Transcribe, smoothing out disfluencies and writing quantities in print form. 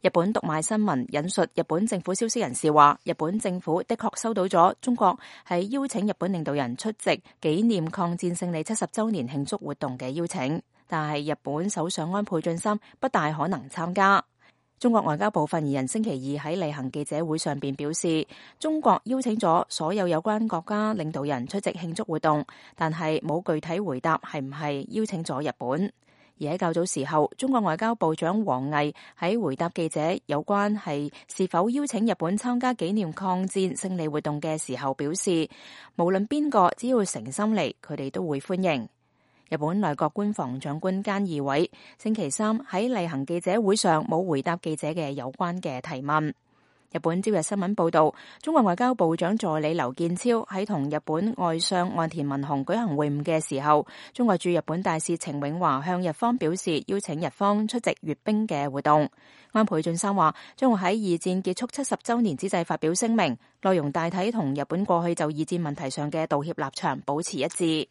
日本讀賣新聞引述日本政府消息人士話，日本政府的確收到咗中國喺邀請日本領導人出席紀念抗戰勝利70週年慶祝活動嘅邀請，但係日本首相安倍晉三不大可能參加。中國外交部發言人星期二喺例行記者會上邊表示，中國邀請咗所有有關國家領導人出席慶祝活動，但係冇具體回答係唔係邀請咗日本。而喺較早時候，中國外交部長王毅喺回答記者有關係是否邀請日本參加紀念抗戰勝利活動嘅時候表示，無論邊個只要誠心嚟，佢哋都會歡迎。日本內閣官房長官菅義偉星期三喺例行記者會上冇回答記者嘅有關嘅提問。日本朝日新聞報道，中國外交部長助理劉建超喺同日本外相岸田文雄舉行會晤嘅時候，中國駐日本大使程永華向日方表示邀請日方出席閱兵嘅活動。安倍晉三話將會喺二戰結束70週年之際發表聲明，內容大體同日本過去就二戰問題上嘅道歉立場保持一致。